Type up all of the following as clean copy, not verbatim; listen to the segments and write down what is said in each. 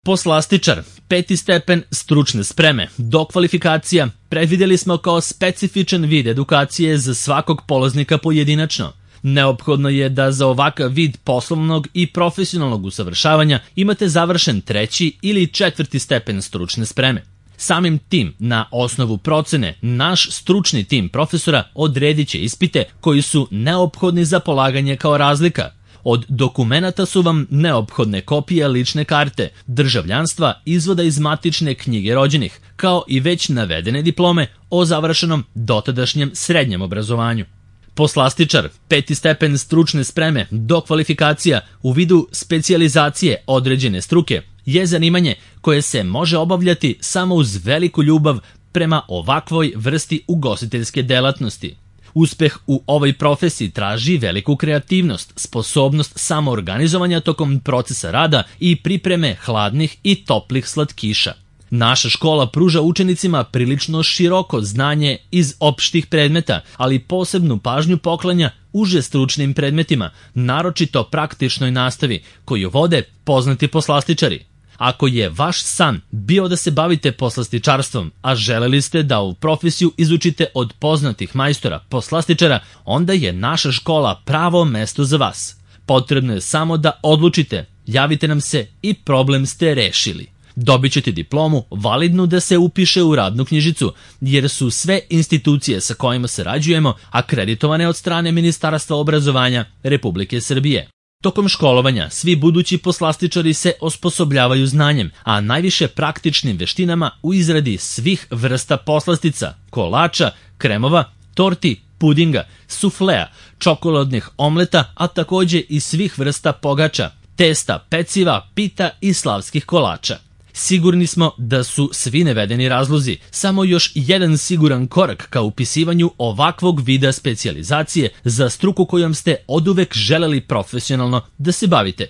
Poslastičar, 5. stepen stručne spreme, dokvalifikacija, predvidjeli smo kao specifičan vid edukacije za svakog polaznika pojedinačno. Neophodno je da za ovakav vid poslovnog i profesionalnog usavršavanja imate završen 3. ili 4. stepen stručne spreme. Samim tim, na osnovu procene, naš stručni tim profesora odredit će ispite koji su neophodni za polaganje kao razlika. Od dokumenata su vam neophodne kopije lične karte, državljanstva, izvoda iz matične knjige rođenih, kao i već navedene diplome o završenom dotadašnjem srednjem obrazovanju. Poslastičar, 5. stepen stručne spreme, dokvalifikacija u vidu specijalizacije određene struke je zanimanje koje se može obavljati samo uz veliku ljubav prema ovakvoj vrsti ugostiteljske delatnosti. Uspeh u ovoj profesiji traži veliku kreativnost, sposobnost samoorganizovanja tokom procesa rada i pripreme hladnih i toplih slatkiša. Naša škola pruža učenicima prilično široko znanje iz opštih predmeta, ali posebnu pažnju poklanja uže stručnim predmetima, naročito praktičnoj nastavi, koju vode poznati poslastičari. Ako je vaš san bio da se bavite poslastičarstvom, a želeli ste da ovu profesiju izučite od poznatih majstora poslastičara, onda je naša škola pravo mesto za vas. Potrebno je samo da odlučite, javite nam se i problem ste rešili. Dobit ćete diplomu validnu da se upiše u radnu knjižicu, jer su sve institucije sa kojima sarađujemo akreditovane od strane Ministarstva obrazovanja Republike Srbije. Tokom školovanja svi budući poslastičari se osposobljavaju znanjem, a najviše praktičnim veštinama u izradi svih vrsta poslastica, kolača, kremova, torti, pudinga, suflea, čokoladnih omleta, a takođe i svih vrsta pogača, testa, peciva, pita i slavskih kolača. Sigurni smo da su svi navedeni razlozi samo još jedan siguran korak ka upisivanju ovakvog vida specijalizacije za struku kojom ste oduvek želeli profesionalno da se bavite.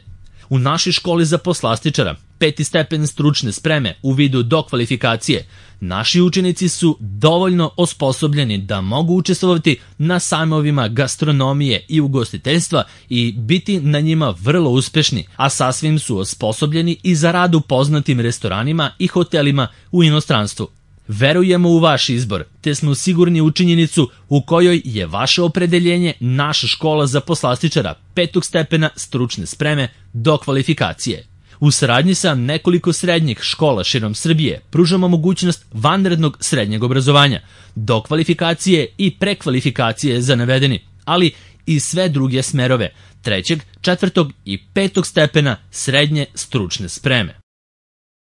U našoj školi za poslastičara, 5. stepen stručne spreme u vidu dokvalifikacije, naši učenici su dovoljno osposobljeni da mogu učestvovati na sajmovima gastronomije i ugostiteljstva i biti na njima vrlo uspešni, a sasvim su osposobljeni i za rad u poznatim restoranima i hotelima u inostranstvu. Verujemo u vaš izbor, te smo sigurni u činjenicu u kojoj je vaše opredeljenje naša škola za poslastičara 5. stepena stručne spreme dokvalifikacije. U saradnji sa nekoliko srednjih škola širom Srbije pružamo mogućnost vanrednog srednjeg obrazovanja, dokvalifikacije i prekvalifikacije za navedeni, ali i sve druge smerove 3., 4. i 5. stepena srednje stručne spreme.